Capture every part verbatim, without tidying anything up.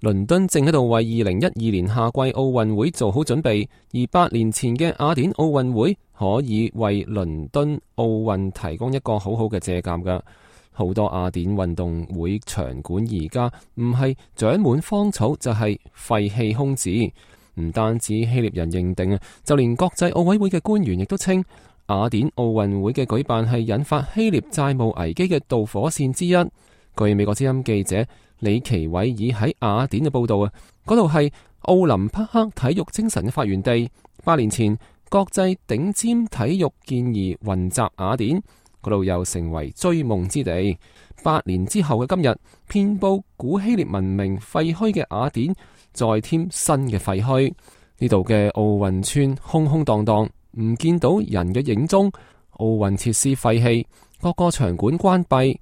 倫敦正喺度為二零一二年夏季奧運會做好準備，而八年前嘅雅典奧運會可以為倫敦奧運提供一個好好嘅借鑒㗎。好多雅典運動會場館而家唔係長滿荒草，就係廢棄空置。唔單止希臘人認定啊，就連國際奧委會嘅官員亦都稱雅典奧運會嘅舉辦係引發希臘債務危機嘅導火線之一。據美國之音記者李奇偉爾喺雅典嘅報道啊，嗰度係奧林匹克體育精神嘅發源地。八年前，國際頂尖體育健兒雲集雅典，嗰度又成為追夢之地。八年之後嘅今日，遍佈古希臘文明廢墟嘅雅典，再添新嘅廢墟。呢度嘅奧運村空空蕩蕩，唔見到人嘅影蹤。奧運設施廢棄，各個場館關閉。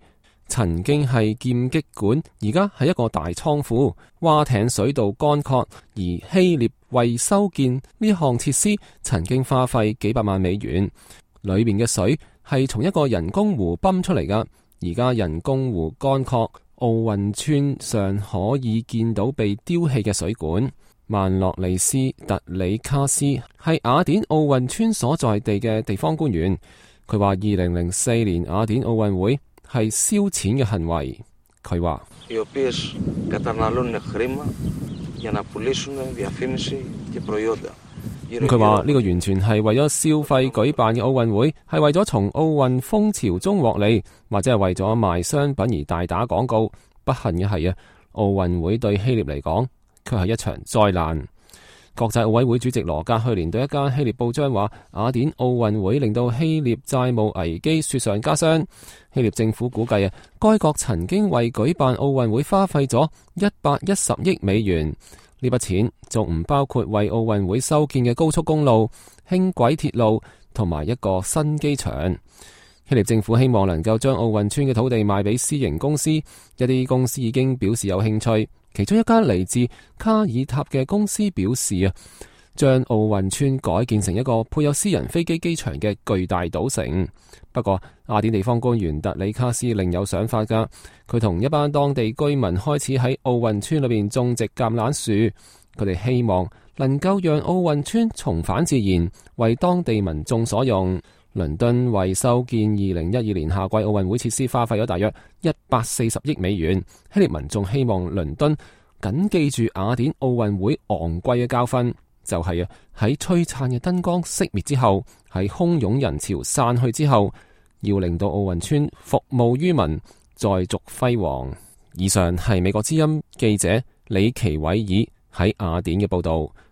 曾經係劍擊館，而家係一個大倉庫。划艇水道乾涸，而希臘為修建呢項設施，曾經花費幾百萬美元。裏面嘅水係從一個人工湖泵出嚟噶，而家人工湖乾涸，奧運村上可以見到被丟棄嘅水管。曼諾利斯特里卡斯係雅典奧運村所在地嘅地方官員，佢話二零零四年雅典奧運會係燒錢嘅行為。佢話佢話呢個完全係為咗消費舉辦嘅奧運會，係為咗從奧運風潮中獲利，或者係為咗賣商品而大打廣告。不幸嘅係啊，奧運會對希臘嚟講卻係一場災難。國際奧委會主席羅格去年對一間希臘報章話，雅典奧運會令到希臘債務危機雪上加霜。希臘政府估計啊，該國曾經為舉辦奧運會花費咗一百一十億美元。呢筆錢仲唔包括為奧運會修建嘅高速公路、輕軌鐵路同埋一個新機場。希臘政府希望能夠將奧運村嘅土地賣俾私營公司，一啲公司已經表示有興趣。其中一間嚟自卡爾塔嘅公司表示啊，將奧運村改建成一個配有私人飛機機場嘅巨大賭城。不過雅典地方官員特里卡斯另有想法噶，佢同一班當地居民開始喺奧運村裏邊種植橄欖樹，佢哋希望能夠讓奧運村重返自然，為當地民眾所用。倫敦為修建二零一二年夏季奧運會設施花費咗大約一百四十億美元。希臘民眾希望倫敦謹記住雅典奧運會昂貴嘅教訓，就係啊喺璀璨嘅燈光熄滅之後，喺洶湧人潮散去之後，要令到奧運村服務於民，再續輝煌。以上係美國之音記者李奇偉爾喺雅典嘅報道。